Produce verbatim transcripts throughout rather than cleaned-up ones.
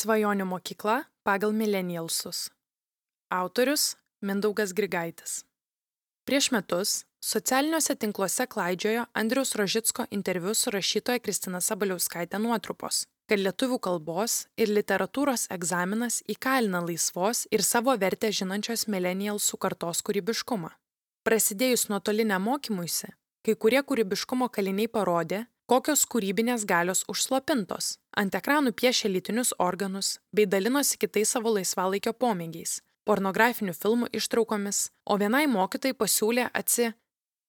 Svajonių mokykla pagal milenialsus. Autorius Mindaugas Grigaitis. Prieš metus socialiniuose tinkluose klaidžiojo Andriaus Rožicko interviu su rašytoja Kristina Sabaliauskaite nuotrupos, kad lietuvių kalbos ir literatūros egzaminas įkalina laisvos ir savo vertę žinančios milenialsų kartos kūrybiškumą. Prasidėjus nuotoliniam mokymuisi, kai kurie kūrybiškumo kaliniai parodė, kokios kūrybinės galios užslopintos, ant ekranų piešė lytinius organus bei dalinosi kitais savo laisvalaikio pomėgiais, pornografinių filmų ištraukomis, o vienai mokytojai pasiūlė atsi,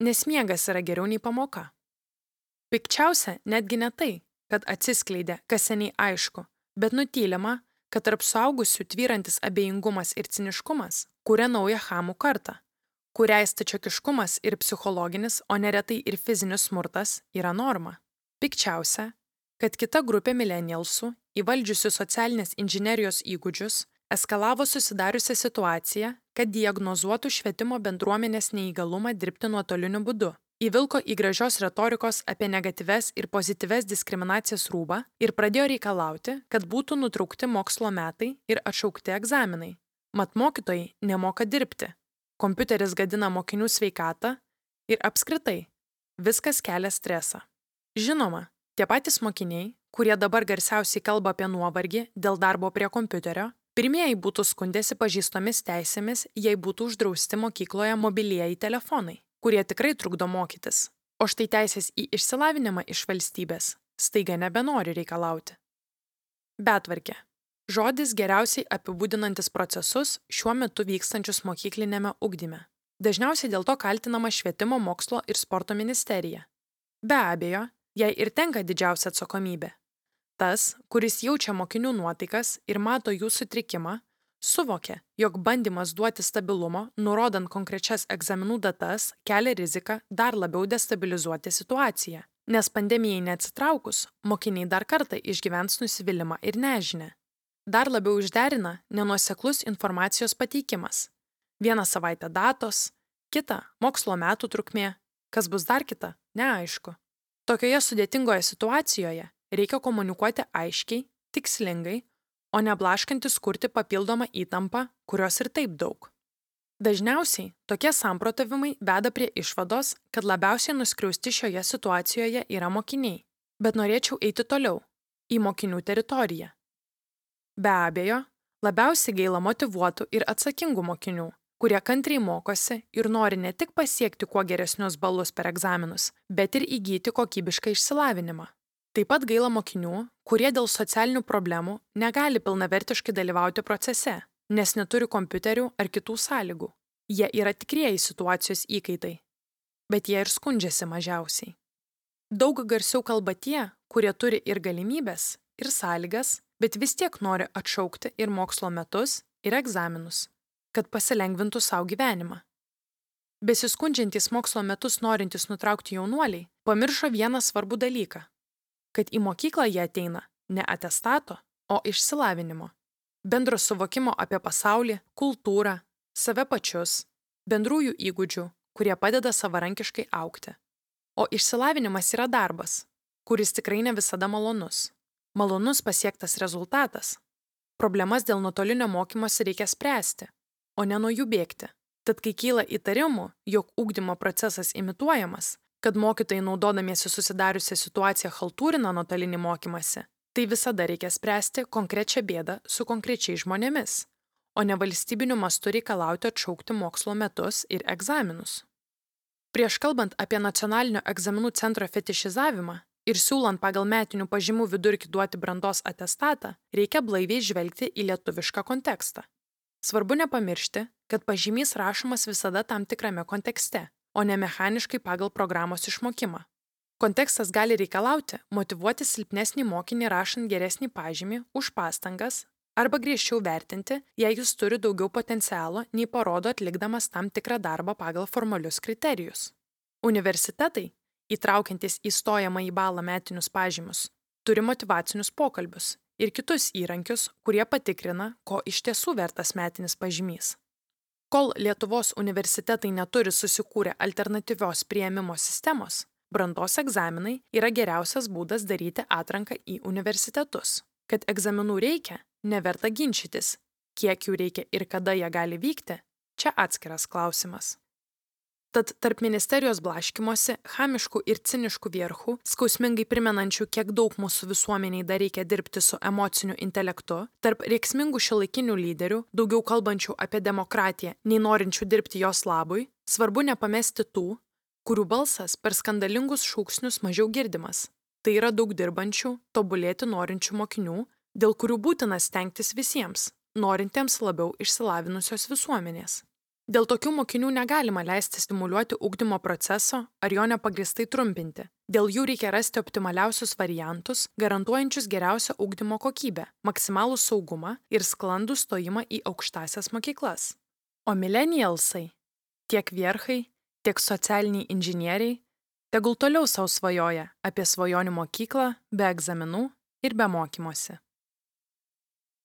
nes miegas yra geriau nei pamoka. Pikčiausia netgi ne tai, kad atsiskleidė, kas seniai aišku, bet nutylima, kad tarp suaugusių tvyrantis abejingumas ir ciniškumas kuria naują chamų kartą, kuriai stačiokiškumas ir psichologinis, o neretai ir fizinis smurtas yra norma. Pikčiausia, kad kita grupė milenialsų, įvaldžiusių socialinės inžinerijos įgūdžius, eskalavo susidariusią situaciją, kad diagnozuotų švietimo bendruomenės neįgalumą dirbti nuotoliniu būdu, įvilko į gražios retorikos apie negatyves ir pozityves diskriminacijas rūbą ir pradėjo reikalauti, kad būtų nutraukti mokslo metai ir atšaukti egzaminai. Mat mokytojai nemoka dirbti, kompiuteris gadina mokinių sveikatą ir apskritai viskas kelia stresą. Žinoma, tie patys mokiniai, kurie dabar garsiausiai kalba apie nuovargį dėl darbo prie kompiuterio, pirmieji būtų skundėsi pažįstomis teisėmis, jei būtų uždrausti mokykloje mobilieji telefonai, kurie tikrai trukdo mokytis. O štai teisės į išsilavinimą iš valstybės staiga nebenori reikalauti. Betvarkė. Žodis geriausiai apibūdinantis procesus šiuo metu vykstančius mokyklinėme ugdyme. Dažniausiai dėl to kaltinama Švietimo mokslo ir sporto ministerija. Be abejo, jai ir tenka didžiausia atsakomybė. Tas, kuris jaučia mokinių nuotaikas ir mato jų sutrikimą, suvokia, jog bandymas duoti stabilumo, nurodant konkrečias egzaminų datas, kelia riziką dar labiau destabilizuoti situaciją, nes pandemijai neatsitraukus, mokiniai dar kartą išgyvens nusivylimą ir nežinę. Dar labiau išderina nenuoseklus informacijos pateikimas. Vieną savaitę datos, kitą mokslo metų trukmė, kas bus dar kita, neaišku. Tokioje sudėtingoje situacijoje reikia komunikuoti aiškiai, tikslingai, o ne blaškantis kurti papildomą įtampą, kurios ir taip daug. Dažniausiai tokie samprotavimai veda prie išvados, kad labiausiai nuskriausti šioje situacijoje yra mokiniai, bet norėčiau eiti toliau, į mokinių teritoriją. Be abejo, labiausiai gaila motyvuotų ir atsakingų mokinių, kurie kantriai mokosi ir nori ne tik pasiekti kuo geresnius balus per egzaminus, bet ir įgyti kokybišką išsilavinimą. Taip pat gaila mokinių, kurie dėl socialinių problemų negali pilnavertiškai dalyvauti procese, nes neturi kompiuterių ar kitų sąlygų. Jie yra tikrieji situacijos įkaitai, bet jie ir skundžiasi mažiausiai. Daug garsiau kalba tie, kurie turi ir galimybės, ir sąlygas, bet vis tiek nori atšaukti ir mokslo metus, ir egzaminus, kad pasilengvintų savo gyvenimą. Besiskundžiantys mokslo metus norintys nutraukti jaunuoliai pamiršo vieną svarbų dalyką, kad į mokyklą jie ateina ne atestato, o išsilavinimo, bendro suvokimo apie pasaulį, kultūrą, save pačius, bendrųjų įgūdžių, kurie padeda savarankiškai augti. O išsilavinimas yra darbas, kuris tikrai ne visada malonus. Malonus pasiektas rezultatas. Problemas dėl nuotolinio mokymosi reikia spręsti, o ne nuo jų bėgti. Tad kai kyla įtarimų, jog ugdymo procesas imituojamas, kad mokytojai naudodamiesi susidariusią situaciją chaltūrina nuotolinį mokymasi, tai visada reikia spręsti konkrečią bėdą su konkrečiais žmonėmis, o ne valstybiniu mastu reikalauti atšaukti mokslo metus ir egzaminus. Prieš kalbant apie nacionalinio egzaminų centro fetišizavimą ir siūlant pagal metinių pažymų vidurkį duoti brandos atestatą, reikia blaiviai žvelgti į lietuvišką kontekstą. Svarbu nepamiršti, kad pažymys rašomas visada tam tikrame kontekste, o ne mechaniškai pagal programos išmokimą. Kontekstas gali reikalauti motyvuoti silpnesnį mokinį rašant geresnį pažymį už pastangas arba griežčiau vertinti, jei jis turi daugiau potencialo, nei parodo atlikdamas tam tikrą darbą pagal formalius kriterijus. Universitetai, įtraukiantis į stojamąjį balą metinius pažymius, turi motyvacinius pokalbius ir kitus įrankius, kurie patikrina, ko iš tiesų vertas metinis pažymys. Kol Lietuvos universitetai neturi susikūrę alternatyvios priėmimo sistemos, brandos egzaminai yra geriausias būdas daryti atranką į universitetus. Kad egzaminų reikia, neverta ginčytis. Kiek jų reikia ir kada jie gali vykti, čia atskiras klausimas. Tad tarp ministerijos blaškymosi, chamiškų ir ciniškų vierchų, skausmingai primenančių, kiek daug mūsų visuomeniai dar reikia dirbti su emociniu intelektu, tarp rėksmingų šiuolaikinių lyderių, daugiau kalbančių apie demokratiją, nei norinčių dirbti jos labui, svarbu nepamesti tų, kurių balsas per skandalingus šūksnius mažiau girdimas. Tai yra daug dirbančių, tobulėti norinčių mokinių, dėl kurių būtina stengtis visiems, norintiems labiau išsilavinusios visuomenės. Dėl tokių mokinių negalima leisti stimuliuoti ugdymo proceso ar jo nepagristai trumpinti. Dėl jų reikia rasti optimaliausius variantus, garantuojančius geriausią ugdymo kokybę, maksimalų saugumą ir sklandų stojimą į aukštąsias mokyklas. O millennialsai, tiek vierchai, tiek socialiniai inžinieriai, tegul toliau sau svajoja apie svajonių mokyklą be egzaminų ir be mokymosi.